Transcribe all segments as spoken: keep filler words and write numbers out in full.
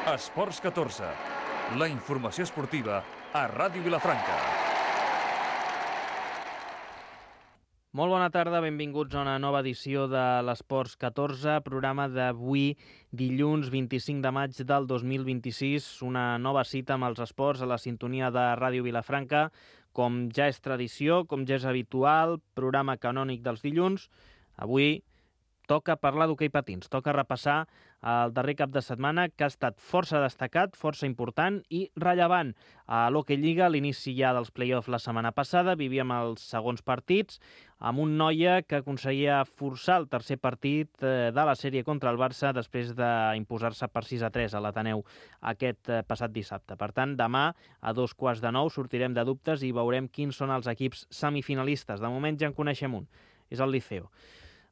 Esports catorze, la informació esportiva a Ràdio Vilafranca. Molt bona tarda, benvinguts a una nova edició de l'Esports catorze, programa d'avui, dilluns vint-i-cinc de maig del dos mil vint-i-sis, una nova cita amb els esports a la sintonia de Ràdio Vilafranca, com ja és tradició, com ja és habitual, programa canònic dels dilluns. Avui toca parlar d'hoquei patins, toca repassar el darrer cap de setmana, que ha estat força destacat, força important i rellevant. A l'Hockey Lliga, a l'inici ja dels play-offs la setmana passada, vivíem els segons partits, amb un Noia que aconseguia forçar el tercer partit de la sèrie contra el Barça després d'imposar-se per sis a tres a l'Ateneu aquest passat dissabte. Per tant, demà, a dos quarts de nou, sortirem de dubtes i veurem quins són els equips semifinalistes. De moment ja en coneixem un, és el Liceo.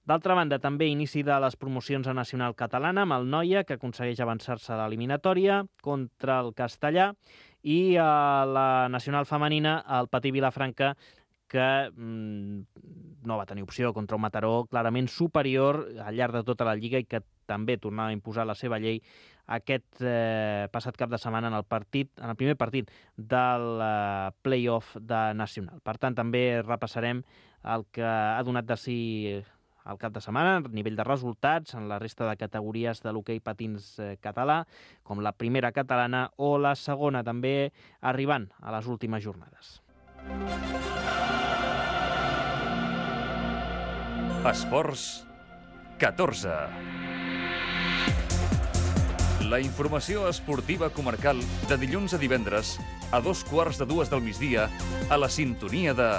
D'altra banda, també inici de les promocions a Nacional Catalana amb el Noia, que aconsegueix avançar-se a l'eliminatòria contra el Castellà, i a la Nacional Femenina, el Patí Vilafranca, que mmm, no va tenir opció contra un Mataró clarament superior al llarg de tota la Lliga i que també tornava a imposar la seva llei aquest eh, passat cap de setmana en el partit, en el primer partit del eh, play-off de Nacional. Per tant, també repassarem el que ha donat de si al cap de setmana, a nivell de resultats, en la resta de categories de l'hoquei patins eh, català, com la primera catalana o la segona, també arribant a les últimes jornades. Esports catorze. La informació esportiva comarcal de dilluns a divendres a dos quarts de dues del migdia a la sintonia de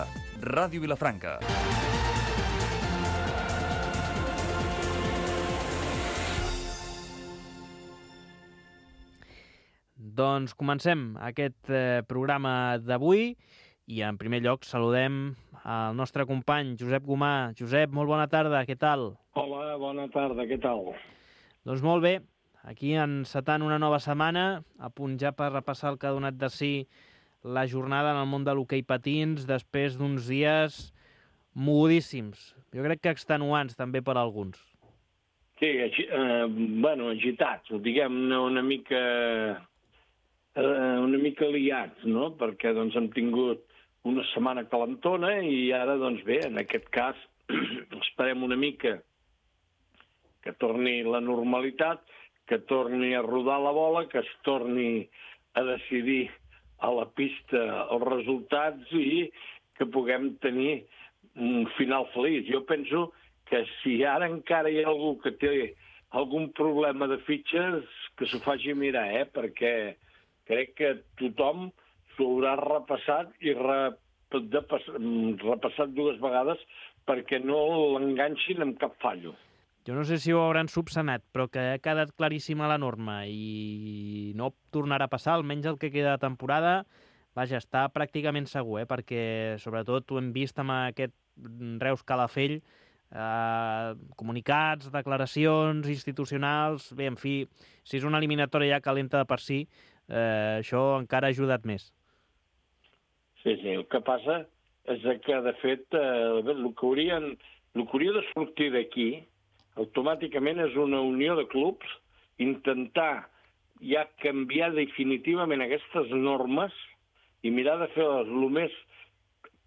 Ràdio Vilafranca. Doncs comencem aquest eh, programa d'avui i en primer lloc saludem el nostre company Josep Gomà. Josep, molt bona tarda, què tal? Hola, bona tarda, què tal? Doncs molt bé, aquí encetant una nova setmana, a punt ja per repassar el que ha donat de si la jornada en el món de l'hoquei patins després d'uns dies mogudíssims, jo crec que extenuants també per a alguns. Sí, eh, bueno, agitats, diguem-ne una mica... una mica liats, no? Perquè doncs, hem tingut una setmana calentona i ara, doncs bé, en aquest cas, esperem una mica que torni la normalitat, que torni a rodar la bola, que es torni a decidir a la pista els resultats i que puguem tenir un final feliç. Jo penso que si ara encara hi ha algú que té algun problema de fitxes, que s'ho faci mirar, eh? Perquè crec que tothom s'ho haurà repassat i re, de, repassat dues vegades perquè no l'enganxin amb cap fallo. Jo no sé si ho hauran subsanat, però que ha quedat claríssima la norma i no tornarà a passar, almenys el que queda de temporada, vaja, està pràcticament segur, eh? Perquè sobretot ho hem vist amb aquest Reus Calafell, eh, comunicats, declaracions institucionals, bé, en fi, si és una eliminatòria ja calenta de per si, Eh, això encara ha ajudat més. Sí, sí, el que passa és que, de fet, eh, el, que haurien, el que hauria de sortir d'aquí automàticament és una unió de clubs, intentar ja canviar definitivament aquestes normes i mirar de fer-les el més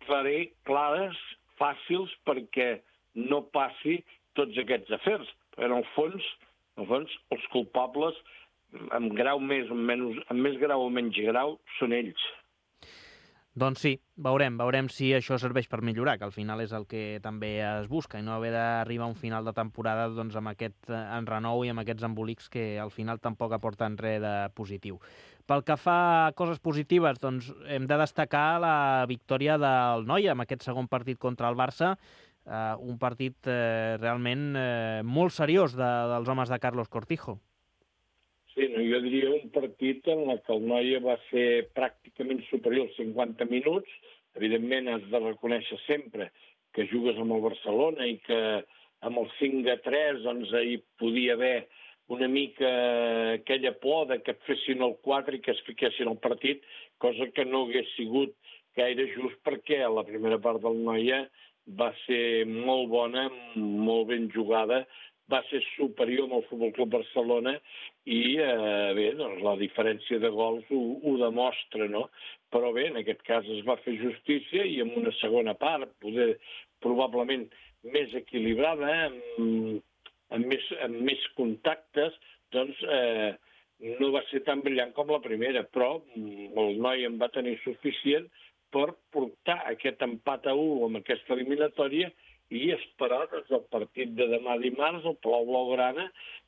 clares, fàcils, perquè no passi tots aquests afers. Perquè, en el fons, en el fons els culpables amb grau més, amb, menys, amb més grau o menys grau, són ells. Doncs sí, veurem, veurem si això serveix per millorar, que al final és el que també es busca, i no haver d'arribar a un final de temporada doncs, amb aquest enrenou i amb aquests embolics que al final tampoc aporten res de positiu. Pel que fa a coses positives, doncs hem de destacar la victòria del Noia amb aquest segon partit contra el Barça, eh, un partit eh, realment eh, molt seriós de, dels homes de Carlos Cortijo. Sí, no, jo diria un partit en què el Noia va ser pràcticament superior als cinquanta minuts. Evidentment, has de reconèixer sempre que jugues amb el Barcelona i que amb el cinc a tres doncs, hi podia haver una mica aquella por de que et fessin el quatre i que es fiquessin al partit, cosa que no hagués sigut gaire just perquè la primera part del Noia va ser molt bona, molt ben jugada, va ser superior amb el Futbol Club Barcelona i, eh, bé, doncs la diferència de gols ho, ho demostra, no? Però bé, en aquest cas es va fer justícia i en una segona part, poder, probablement més equilibrada, amb, amb, més, amb més contactes, doncs eh, no va ser tan brillant com la primera, però el noi en va tenir suficient per portar aquest empat a u amb aquesta eliminatòria i esperar des del partit de demà dimarts al Palau Blaugrana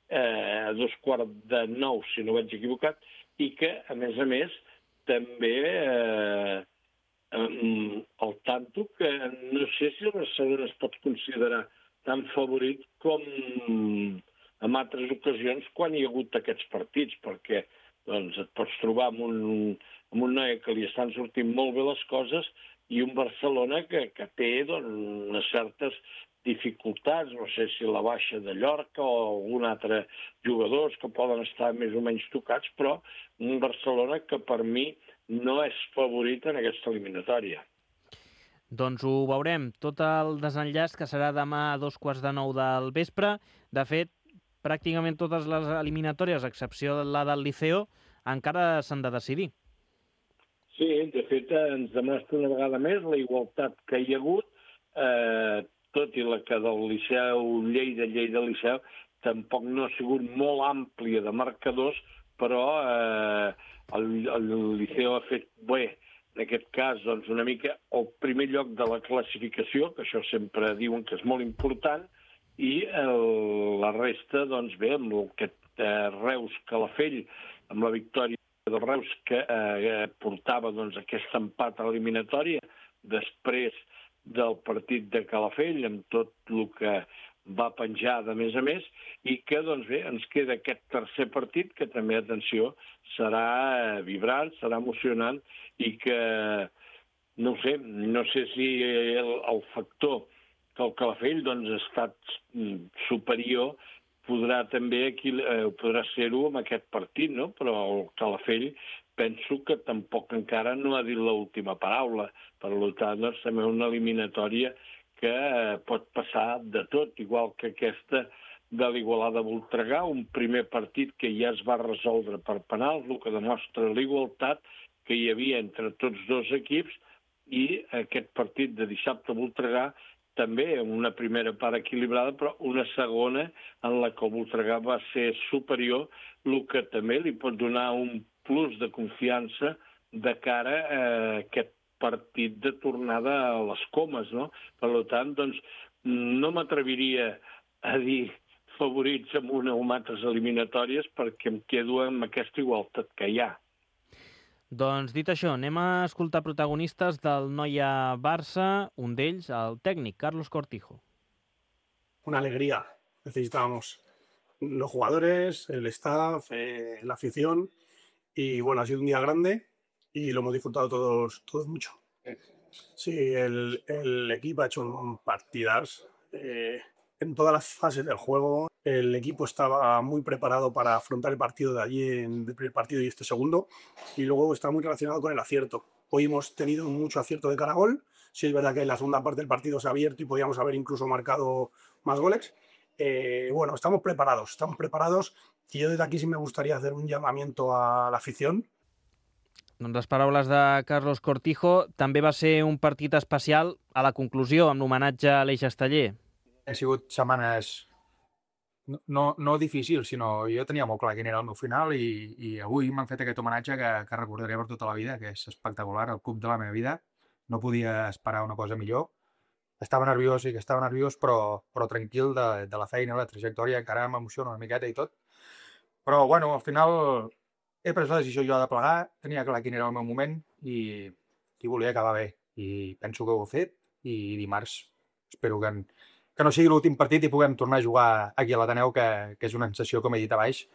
eh, a dos quarts de nou, si no vaig equivocat, i que, a més a més, també eh, el tanto que no sé si el Barcelona es pot considerar tan favorit com en altres ocasions quan hi ha hagut aquests partits, perquè doncs, et pots trobar amb un, amb un noi que li estan sortint molt bé les coses i un Barcelona que, que té doncs, unes certes dificultats, no sé si la baixa de Llorca o algun altre jugadors que poden estar més o menys tocats, però un Barcelona que per mi no és favorit en aquesta eliminatòria. Doncs ho veurem, tot el desenllaç que serà demà a dos quarts de nou del vespre. De fet, pràcticament totes les eliminatòries, a excepció de la del Liceo, encara s'han de decidir. Sí, de fet, ens demostra una vegada més la igualtat que hi ha hagut, eh, tot i la que del Liceu, Lleida, Lleida, Liceu, tampoc no ha sigut molt àmplia de marcadors, però eh, el, el Liceu ha fet bé, en aquest cas, doncs, una mica el primer lloc de la classificació, que això sempre diuen que és molt important, i el, la resta, doncs bé, amb aquest eh, Reus-Calafell, amb la victòria del Reus que eh, portava doncs, aquest empat eliminatòria després del partit de Calafell, amb tot el que va penjar de més a més, i que doncs bé, ens queda aquest tercer partit que també, atenció, serà vibrant, serà emocionant i que, no sé, no sé si el, el factor que el Calafell doncs, ha estat superior podrà també aquí, eh, podrà ser-ho amb aquest partit, no? Però el Calafell penso que tampoc encara no ha dit l'última paraula. Per tant, doncs, també una eliminatòria que eh, pot passar de tot, igual que aquesta de l'Igualada Voltregà, un primer partit que ja es va resoldre per penals, el que demostra l'igualtat que hi havia entre tots dos equips, i aquest partit de dissabte a Voltregà també amb una primera part equilibrada, però una segona en la que el Voltregà va ser superior, el que també li pot donar un plus de confiança de cara a aquest partit de tornada a les Comes, no? Per tant, doncs, no m'atreviria a dir favorits en una o en altres eliminatòries perquè em quedo amb aquesta igualtat que hi ha. Doncs dit això, anem a escoltar protagonistes del Noia Barça, un d'ells, el tècnic, Carlos Cortijo. Una alegría. Necesitábamos los jugadores, el staff, eh, la afición. Y bueno, ha sido un día grande y lo hemos disfrutado todos, todos mucho. Sí, el, el equipo ha hecho un partidazo. Eh, en todas las fases del juego, el equipo estaba muy preparado para afrontar el partido de allí, en el primer partido y este segundo, y luego está muy relacionado con el acierto. Hoy hemos tenido mucho acierto de cara a gol. Sí, es verdad que en la segunda parte del partido se ha abierto y podíamos haber incluso marcado más goles. Eh, bueno, estamos preparados, estamos preparados, y yo desde aquí sí me gustaría hacer un llamamiento a la afición. Doncs les paraules de Carlos Cortijo. També va ser un partit especial a la conclusió, amb l'homenatge a l'Eix Esteller. Ha sigut setmanes no, no, no difícils, sinó jo tenia molt clar quin era el meu final i, i avui m'han fet aquest homenatge que, que recordaré per tota la vida, que és espectacular, el club de la meva vida. No podia esperar una cosa millor. Estava nerviós, sí que estava nerviós, però, però tranquil de, de la feina, la trajectòria, encara m'emociona una miqueta i tot. Però, bueno, al final he pres la decisió jo de plegar, tenia clar quin era el meu moment i, i volia acabar bé. I penso que ho he fet i dimarts espero que, en, que no sigui l'últim partit i puguem tornar a jugar aquí a l'Ateneu, que, que és una sensació, com he dit abans,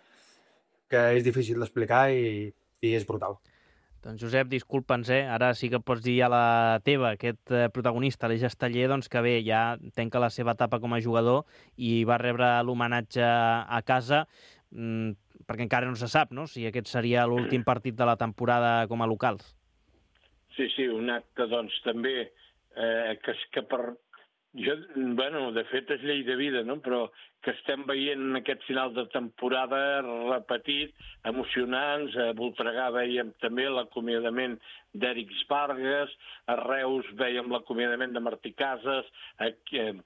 que és difícil d'explicar i, i és brutal. Doncs Josep, disculpa'ns, eh? Ara sí que pots dir a la teva, aquest protagonista, l'Eix Esteller, doncs que bé, ja tanca la seva etapa com a jugador i va rebre l'homenatge a casa, mmm, perquè encara no se sap, no?, si aquest seria l'últim partit de la temporada com a locals. Sí, sí, un acte, doncs, també, eh, que, que per Jo, bueno, de fet és llei de vida, no? Però que estem veient aquest final de temporada repetit, emocionants. A Voltregà veiem també l'acomiadament d'Èric Vargas, a Reus veiem l'acomiadament de Martí Casas,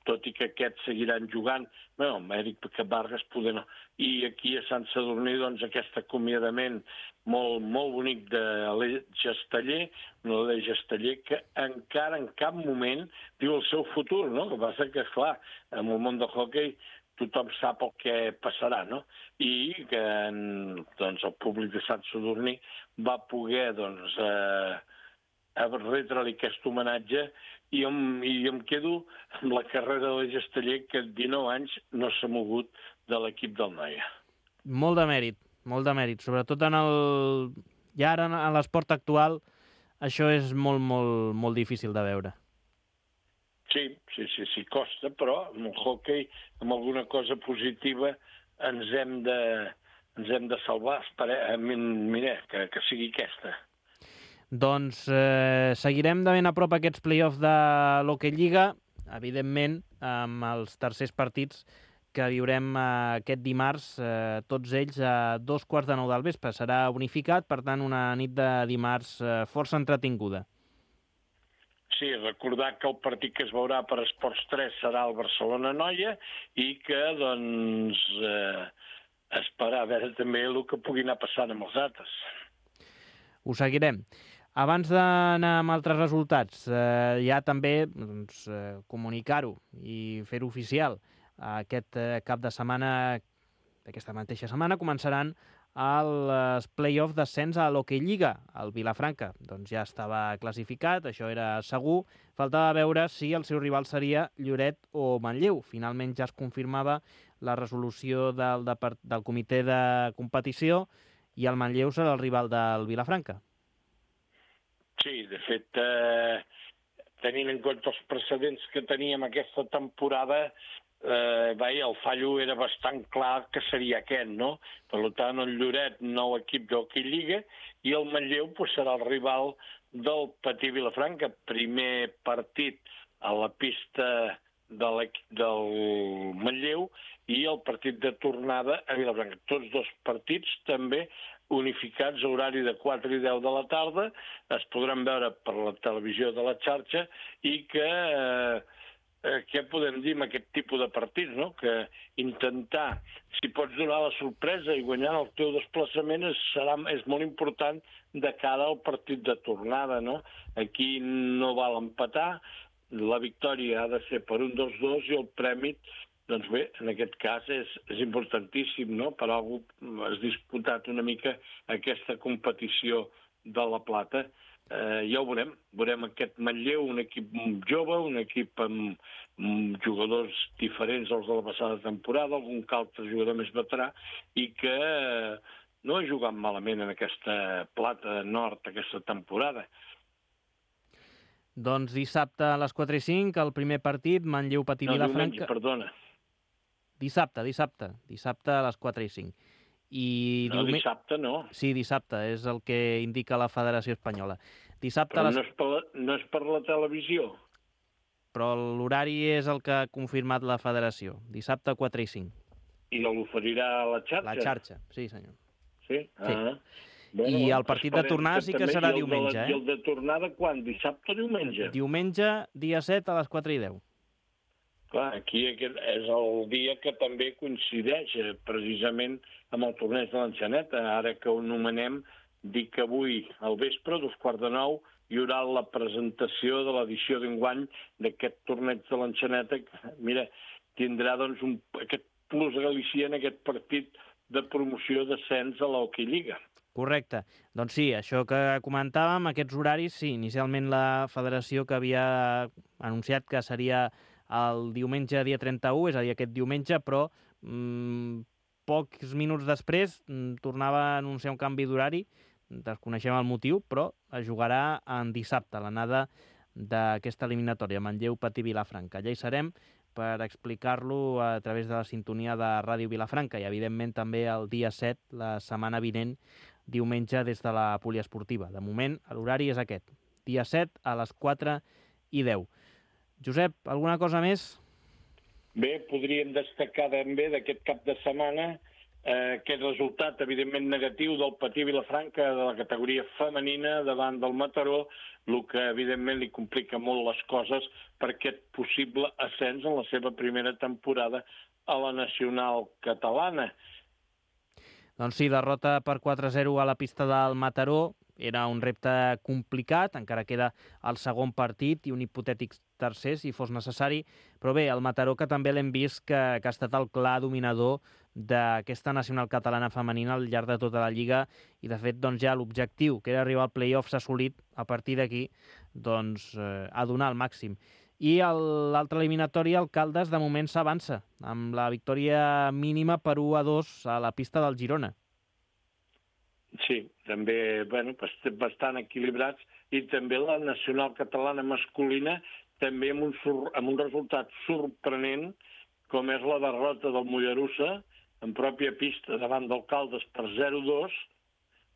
tot i que aquests seguiran jugant. Bé, amb Èric Vargas poder no. I aquí a Sant Sadurní, doncs, aquest acomiadament molt, molt bonic de l'Eix Esteller, no l'Eix Esteller, que encara en cap moment diu el seu futur, no? El que passa que, esclar, en el món del hoquei tothom sap el que passarà, no? I que doncs, el públic de Sant Sadurní va poder doncs, eh, retre-li aquest homenatge i em, i em quedo amb la carrera de l'Eix Esteller, que dinou anys no s'ha mogut de l'equip del Noia. Molt de mèrit, molt de mèrit. Sobretot en el... ja ara en l'esport actual això és molt, molt, molt difícil de veure. Sí, sí, sí, sí, costa, però amb el hoquei, amb alguna cosa positiva, ens hem de, ens hem de salvar. Mira, que, que sigui aquesta. Doncs eh, seguirem de ben a prop aquests play-offs de l'Hockey Lliga, evidentment amb els tercers partits que viurem eh, aquest dimarts, eh, tots ells a dos quarts de nou del vespre. Serà unificat, per tant, una nit de dimarts eh, força entretinguda. Sí, recordar que el partit que es veurà per Esports tres serà el Barcelona-Noia i que, doncs, eh, esperar a veure també el que pugui anar passant amb els altres. Ho seguirem. Abans d'anar amb altres resultats, eh, ja també doncs, eh, comunicar-ho i fer-ho oficial. Aquest eh, cap de setmana, d'aquesta mateixa setmana, començaran els play-off d'ascens a l'Hockey Lliga. El Vilafranca doncs, ja estava classificat, això era segur. Faltava veure si el seu rival seria Lloret o Manlleu. Finalment ja es confirmava la resolució del, del comitè de competició i el Manlleu serà el rival del Vilafranca. Sí, de fet, eh, tenint en compte els precedents que teníem aquesta temporada, eh, vai, el fallo era bastant clar que seria aquest, no? Per tant, el Lloret, nou equip d'Hockey Lliga, i el Manlleu pues, serà el rival del Patí Vilafranca. Primer partit a la pista de del Manlleu i el partit de tornada a Vilafranca. Tots dos partits també unificats a horari de quatre i deu de la tarda, es podran veure per la televisió de la xarxa i que, eh, què podem dir amb aquest tipus de partits, no? Que intentar, si pots donar la sorpresa i guanyar el teu desplaçament és, serà, és molt important de cara al partit de tornada, no? Aquí no val empatar, la victòria ha de ser per un dos dos i el premi, doncs bé, en aquest cas és, és importantíssim, no? Per algú has disputat una mica aquesta competició de la plata. Eh, ja ho veurem. Veurem aquest Manlleu, un equip jove, un equip amb, amb jugadors diferents als de la passada temporada, algun que altre jugador més veterà, i que eh, no ha jugat malament en aquesta plata nord aquesta temporada. Doncs dissabte a les quatre i cinc, el primer partit, Manlleu-Patí Vilafranca... No, diumenge, perdona. Dissabte, dissabte. Dissabte a les quatre i cinc. I no, diume... dissabte no. Sí, dissabte, és el que indica la Federació Espanyola. Dissabte Però les... no, és per la, no és per la televisió. Però l'horari és el que ha confirmat la Federació. Dissabte a quatre i cinc. I l'oferirà a la xarxa? La xarxa, sí senyor. Sí? sí. Ah. Bueno, I el partit de tornada sí que serà diumenge, eh? I el de tornada quan? Dissabte o diumenge? Diumenge, dia set a les quatre i deu. Clar, aquí és el dia que també coincideix precisament amb el torneig de l'Enxaneta. Ara que ho anomenem, dic que avui al vespre, dos quarts de nou, hi haurà la presentació de l'edició d'enguany d'aquest torneig de l'Enxaneta. Mira, tindrà doncs un, aquest plus Galicia en aquest partit de promoció d'ascens a l'Hockey Lliga. Correcte. Doncs sí, això que comentàvem, aquests horaris, sí, inicialment la federació que havia anunciat que seria el diumenge dia trenta-u, és a dir, aquest diumenge, però mmm, pocs minuts després mmm, tornava a anunciar un canvi d'horari, desconeixem el motiu, però es jugarà en dissabte, l'anada d'aquesta eliminatòria, Manlleu-Patí Vilafranca. Allà hi serem per explicar-lo a través de la sintonia de Ràdio Vilafranca i, evidentment, també el dia set, la setmana vinent, diumenge, des de la poliesportiva. De moment, l'horari és aquest, dia set a les quatre i deu. Josep, alguna cosa més? Bé, podríem destacar també d'aquest cap de setmana eh, aquest resultat, evidentment negatiu, del Patí Vilafranca de la categoria femenina davant del Mataró, el que evidentment li complica molt les coses per aquest possible ascens en la seva primera temporada a la nacional catalana. Doncs sí, derrota per quatre a zero a la pista del Mataró. Era un repte complicat, encara queda el segon partit i un hipotètic tercer, si fos necessari. Però bé, el Mataró, que també l'hem vist que, que ha estat el clar dominador d'aquesta nacional catalana femenina al llarg de tota la Lliga, i de fet doncs, ja l'objectiu, que era arribar al play-off, s'ha assolit. A partir d'aquí, doncs, eh, a donar el màxim. I l'altra eliminatòria, el Caldes, de moment s'avança, amb la victòria mínima per u a dos a la pista del Girona. Sí, també, bueno, bastant equilibrats, i també la nacional catalana masculina també amb un, amb un resultat sorprenent, com és la derrota del Mollerussa en pròpia pista davant del Caldes per zero a dos,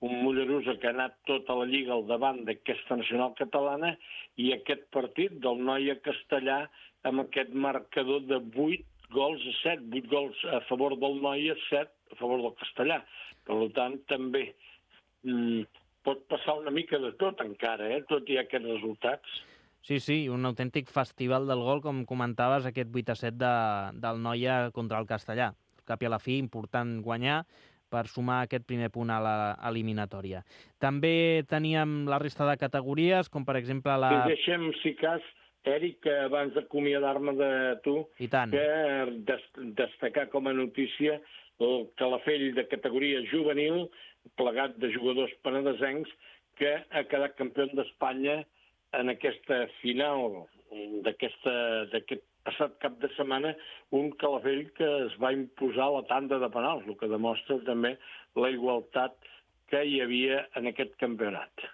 un Mollerussa que ha anat tota la Lliga al davant d'aquesta nacional catalana, i aquest partit del Noia Castellà amb aquest marcador de vuit gols a set, vuit gols a favor del Noia, set a favor del Castellà. Per tant, també mm, pot passar una mica de tot encara, eh? Tot i aquests resultats. Sí, sí, un autèntic festival del gol, com comentaves, aquest vuit a set de, del Noia contra el Castellà. Cap i a la fi, important guanyar per sumar aquest primer punt a l'eliminatòria. També teníem la resta de categories, com per exemple la... Si deixem, si cas, Eric, abans d'acomiadar-me de tu, I tant. que des destacar com a notícia el Calafell de categoria juvenil, plegat de jugadors penedesencs, que ha quedat campió d'Espanya en aquesta final d'aquest passat cap de setmana, un Calafell que es va imposar a la tanda de penals, el que demostra també la igualtat que hi havia en aquest campionat.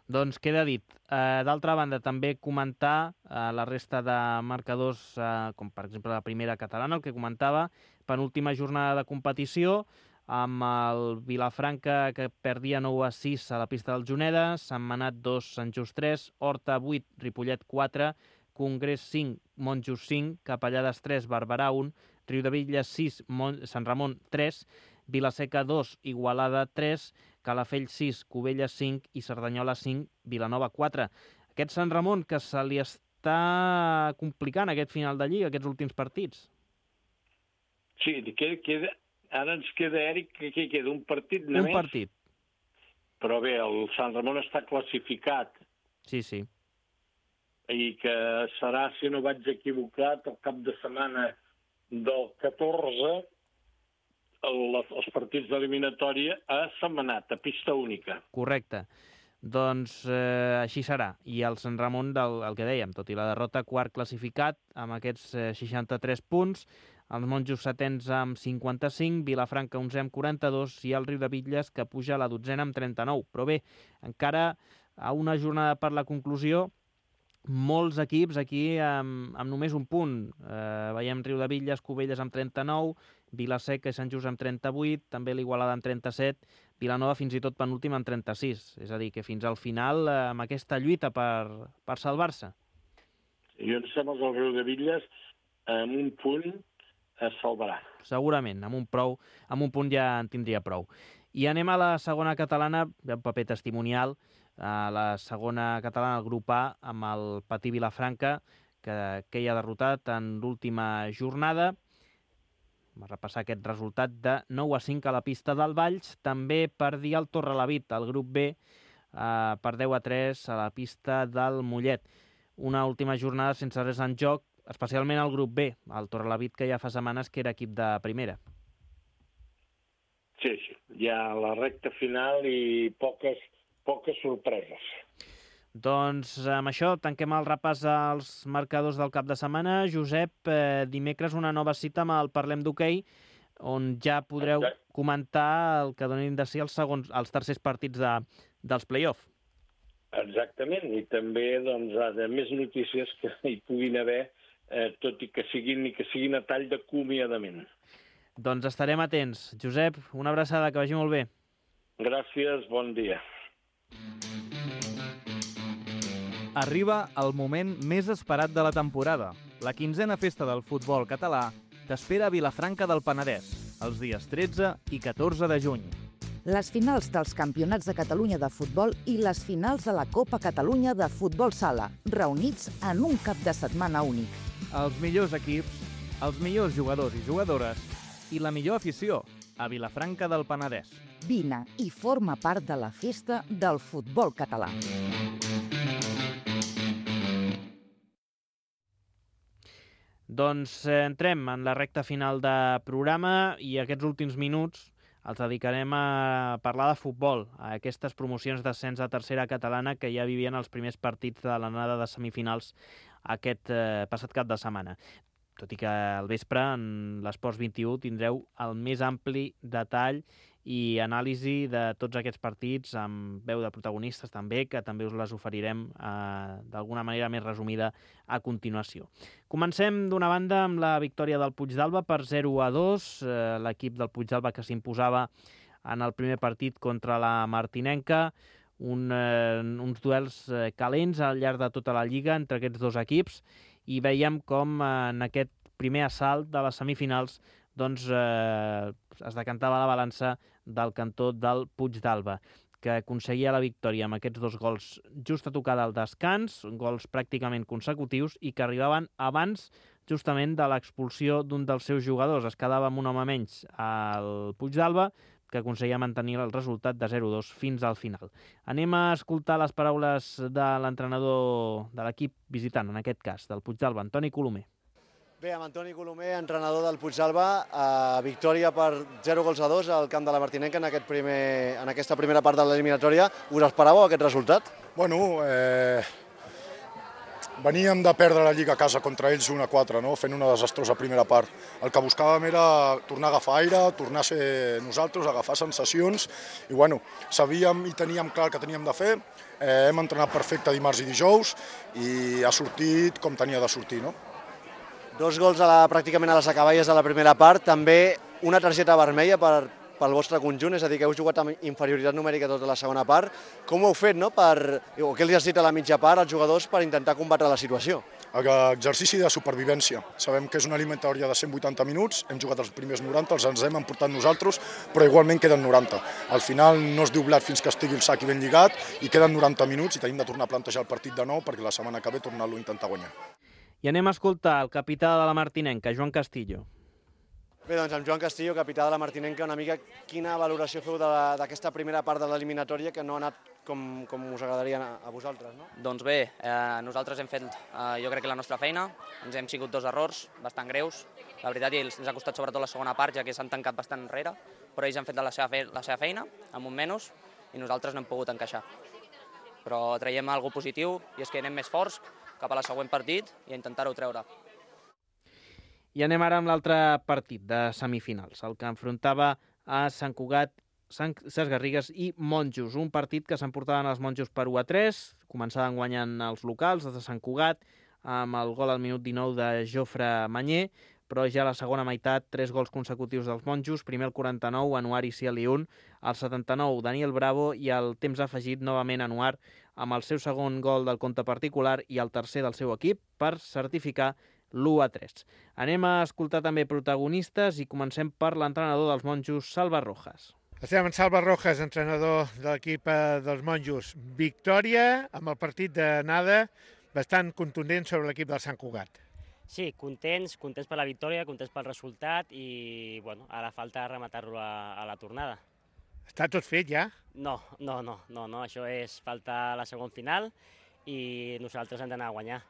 Doncs queda dit. Eh, D'altra banda, també comentar eh, la resta de marcadors, eh, com per exemple la primera catalana, el que comentava, penúltima jornada de competició, amb el Vilafranca, que perdia nou a sis a la pista del Juneda, Sant Manat dos, Sant Just tres, Horta vuit, Ripollet quatre, Congrés cinc, Montjust cinc, Capellades tres, Barberà un, Riudebitlles sis, Mont Sant Ramon tres, Vilaseca dos, Igualada tres, Calafell sis, Cubelles cinc i Cerdanyola cinc, Vilanova quatre. Aquest Sant Ramon que se li està complicant aquest final de Lliga, aquests últims partits. Sí, queda, queda, ara ens queda, Eric, que aquí queda un partit només. Un partit. Però bé, el Sant Ramon està classificat. Sí, sí. I que serà, si no vaig equivocat, el cap de setmana del catorze, el, els partits d'eliminatòria a Sentmenat, a pista única. Correcte. Doncs eh, així serà. I el Sant Ramon, del, el que dèiem, tot i la derrota, quart classificat, amb aquests eh, seixanta-tres punts, els Monjos setens amb cinquanta-cinc, Vilafranca onze amb quaranta-dos i el Riudebitlles, que puja a la dotzena amb trenta-nou. Però bé, encara a una jornada per la conclusió, molts equips aquí amb, amb només un punt. Eh, veiem Riudebitlles, Cubelles amb trenta-nou, Vilaseca i Sant Just amb trenta-vuit, també l'Igualada amb trenta-set, Vilanova fins i tot penúltim amb trenta-sis. És a dir, que fins al final, eh, amb aquesta lluita per, per salvar-se. Jo em sembla que el Riudebitlles, amb un punt, es salvarà. Segurament, amb un, prou, amb un punt ja en tindria prou. I anem a la segona catalana, un paper testimonial, a la segona catalana, el grup A, amb el Patí Vilafranca, que, que hi ha derrotat en l'última jornada. Va repassar aquest resultat de nou a cinc a la pista del Valls. També perdia el Torrelavit, el grup B, eh, per deu a tres a la pista del Mollet. Una última jornada sense res en joc, especialment el grup B, el Torrelavit, que ja fa setmanes que era equip de primera. Sí, sí, ja la recta final i poques, poques sorpreses. Doncs amb això tanquem el repàs als marcadors del cap de setmana. Josep, eh, dimecres una nova cita amb el Parlem d'Hoquei, on ja podreu Exacte. comentar el que donin de si els, segons, els tercers partits de, dels play-off. Exactament, i també doncs, de més notícies que hi puguin haver, eh, tot i que siguin, i que siguin a tall d'acomiadament. Doncs estarem atents. Josep, una abraçada, que vagi molt bé. Gràcies, bon dia. Arriba el moment més esperat de la temporada. La quinzena festa del futbol català t'espera a Vilafranca del Penedès, els dies tretze i catorze de juny. Les finals dels Campionats de Catalunya de futbol i les finals de la Copa Catalunya de futbol sala, reunits en un cap de setmana únic. Els millors equips, els millors jugadors i jugadores i la millor afició a Vilafranca del Penedès. Vine i forma part de la festa del futbol català. Doncs eh, entrem en la recta final de programa i aquests últims minuts els dedicarem a parlar de futbol, a aquestes promocions d'ascens a tercera catalana que ja vivien els primers partits de l'anada de semifinals aquest eh, passat cap de setmana. Tot i que al vespre, en l'Esports vint-i-u, tindreu el més ampli detall i anàlisi de tots aquests partits amb veu de protagonistes també, que també us les oferirem eh, d'alguna manera més resumida a continuació. Comencem d'una banda amb la victòria del Puigdàlber per zero a dos, eh, l'equip del Puigdàlber que s'imposava en el primer partit contra la Martinenca, un, eh, uns duels eh, calents al llarg de tota la Lliga entre aquests dos equips, i veiem com eh, en aquest primer assalt de les semifinals doncs, eh, es decantava la balança del cantó del Puigdàlber, que aconseguia la victòria amb aquests dos gols just a tocar del descans, gols pràcticament consecutius i que arribaven abans justament de l'expulsió d'un dels seus jugadors. Es quedava amb un home menys al Puigdàlber, que aconseguia mantenir el resultat de zero a dos fins al final. Anem a escoltar les paraules de l'entrenador de l'equip visitant, en aquest cas, del Puigdàlber, Antoni Colomer. Bé, amb Antoni Colomer, entrenador del Puigdàlber, eh, victòria per zero gols a dos al camp de la Martinenca en, aquest primer, en aquesta primera part de l'eliminatòria. Us esperàveu aquest resultat? Bueno, eh, veníem de perdre la Lliga a casa contra ells un a quatre, no? Fent una desastrosa primera part. El que buscàvem era tornar a agafar aire, tornar a ser nosaltres, agafar sensacions, i bueno, sabíem i teníem clar el que teníem de fer. Eh, hem entrenat perfecte dimarts i dijous i ha sortit com tenia de sortir, no? Dos gols a la, pràcticament a les acaballes de la primera part, també una targeta vermella per, pel vostre conjunt, és a dir, que heu jugat amb inferioritat numèrica tota la segona part. Com ho heu fet, no? Per, o què els has dit a la mitja part als jugadors per intentar combatre la situació? Exercici de supervivència. Sabem que és una eliminatòria de cent vuitanta minuts, hem jugat els primers noranta, els ens hem emportat nosaltres, però igualment queden noranta. Al final no es diu blat fins que estigui el sac i ben lligat, i queden noranta minuts i tenim de tornar a plantejar el partit de nou perquè la setmana que ve tornar-lo a intentar guanyar. I anem a escoltar el capità de la Martinenca, Joan Castillo. Bé, doncs amb Joan Castillo, capità de la Martinenca, una mica quina valoració feu d'aquesta primera part de l'eliminatòria que no ha anat com, com us agradaria a, a vosaltres, no? Doncs bé, eh, nosaltres hem fet, eh, jo crec que la nostra feina, ens hem sigut dos errors bastant greus, la veritat, i ens ha costat sobretot la segona part, ja que s'han tancat bastant enrere, però ells han fet la seva, fe la seva feina, amb un menys, i nosaltres no hem pogut encaixar. Però traiem alguna cosa positiu, i és que anem més forts cap a la següent partit i a intentar-ho treure. I anem ara amb l'altre partit de semifinals, el que enfrontava a Sant Cugat, Ses Garrigues i Monjos. Un partit que s'emportaven els Monjos per u a tres, començaven guanyant els locals, els de Sant Cugat, amb el gol al minut dinou de Jofre Manyer, però ja a la segona meitat, tres gols consecutius dels Monjos, primer el quaranta-nou, Anuar i Cialiun, al setanta-nou, Daniel Bravo, i al temps afegit, novament Anuar, amb el seu segon gol del compte particular i el tercer del seu equip, per certificar l'u a tres. Anem a escoltar també protagonistes i comencem per l'entrenador dels Monjos, Salva Rojas. Estem amb Salva Rojas, entrenador de l'equip dels Monjos. Victòria amb el partit d'anada bastant contundent sobre l'equip del Sant Cugat. Sí, contents, contents per la victòria, contents pel resultat i bueno, ara falta rematar-lo a, a la tornada. Està tot fet ja? No, no, no, no, no, això és falta la segona final i nosaltres hem d'anar a guanyar.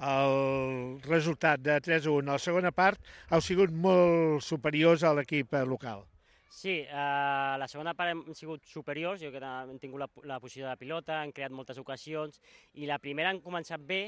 El resultat de tres a u a la segona part heu sigut molt superiors a l'equip local. Sí, a la segona part hem sigut superiors, jo que hem tingut la, la posició de pilota, hem creat moltes ocasions i la primera han començat bé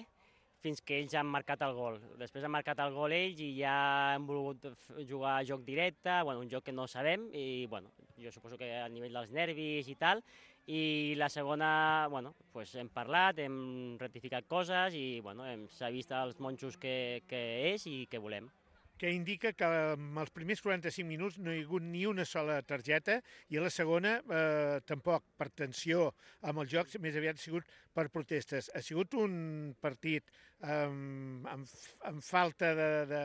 fins que ells han marcat el gol. Després han marcat el gol ells i ja hem volgut jugar a joc directe, bueno, un joc que no sabem i bueno, jo suposo que a nivell dels nervis i tal. I la segona, bueno, pues hem parlat, hem rectificat coses i bueno, s'ha vist als Monjos que, que és i que volem. que indica que en els primers quaranta-cinc minuts no hi ha hagut ni una sola targeta i a la segona eh, tampoc per tensió amb el joc, més aviat ha sigut per protestes. Ha sigut un partit amb, amb, amb falta de, de,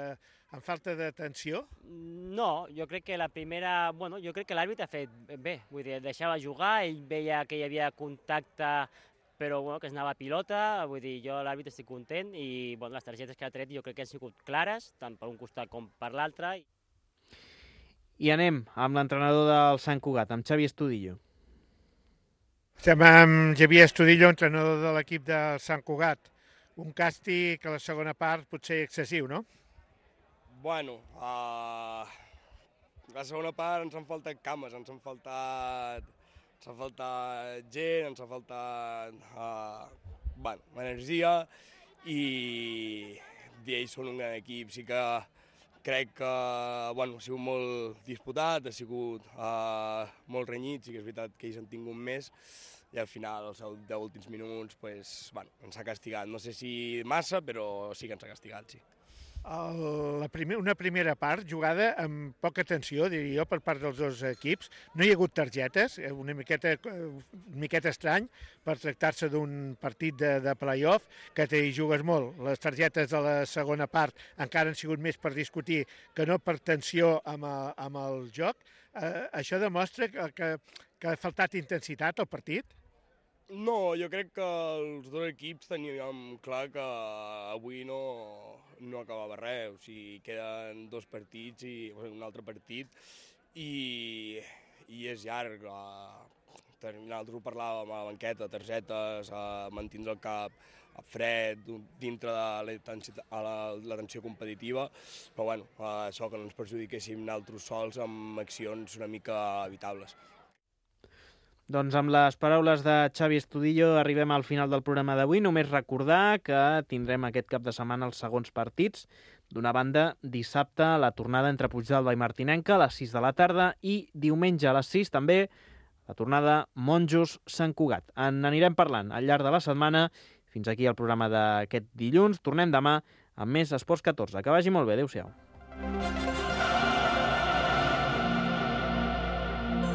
amb falta de tensió? No, jo crec que la primera... Bueno, jo crec que l'àrbitre ha fet bé, vull dir, deixava jugar, ell veia que hi havia contacte, però bueno, que es anava a pilota, vull dir, jo l'àrbitre estic content i bueno, les targetes que ha tret jo crec que han sigut clares, tant per un costat com per l'altre. I anem amb l'entrenador del Sant Cugat, amb Xavi Estudillo. Estem amb Xavier Estudillo, entrenador de l'equip del Sant Cugat. Un càstig a la segona part potser excessiu, no? Bueno, uh, la segona part ens han faltat cames, ens han faltat, ens ha faltat gent, ens ha faltat uh, bueno, energia i, i ells són un gran equip. Sí que crec que bueno, ha sigut molt disputat, ha sigut uh, molt renyit, sí que és veritat que ells han tingut més i al final, els deu últims minuts, pues, bueno, ens ha castigat. No sé si massa, però sí que ens ha castigat, sí. El, la primer, una primera part jugada amb poca tensió, diria jo, per part dels dos equips. No hi ha hagut targetes, una miqueta, una miqueta estrany per tractar-se d'un partit de, de play-off, que t'hi jugues molt. Les targetes de la segona part encara han sigut més per discutir que no per tensió amb el, amb el joc. Eh, això demostra que, que, que ha faltat intensitat al partit? No, jo crec que els dos equips teníem clar que avui no, no acabava res, o sigui, queden dos partits i un altre partit i, i és llarg. Nosaltres ho parlàvem a la banqueta, targetes, a mantindre el cap fred, dintre de la, la, la tensió competitiva, però bueno, això que no ens perjudiquéssim nosaltres sols amb accions una mica evitables. Doncs amb les paraules de Xavi Estudillo arribem al final del programa d'avui. Només recordar que tindrem aquest cap de setmana els segons partits. D'una banda, dissabte, la tornada entre Puigdàlber i Martinenca a les sis de la tarda i diumenge a les sis també la tornada Monjos-Sant Cugat. En anirem parlant al llarg de la setmana. Fins aquí el programa d'aquest dilluns. Tornem demà amb més Esports catorze. Que vagi molt bé. Adéu-siau.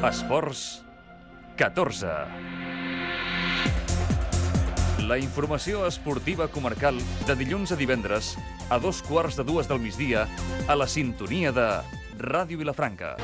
Esports catorze. La informació esportiva comarcal de dilluns a divendres a dos quarts de dues del migdia a la sintonia de Ràdio Vilafranca.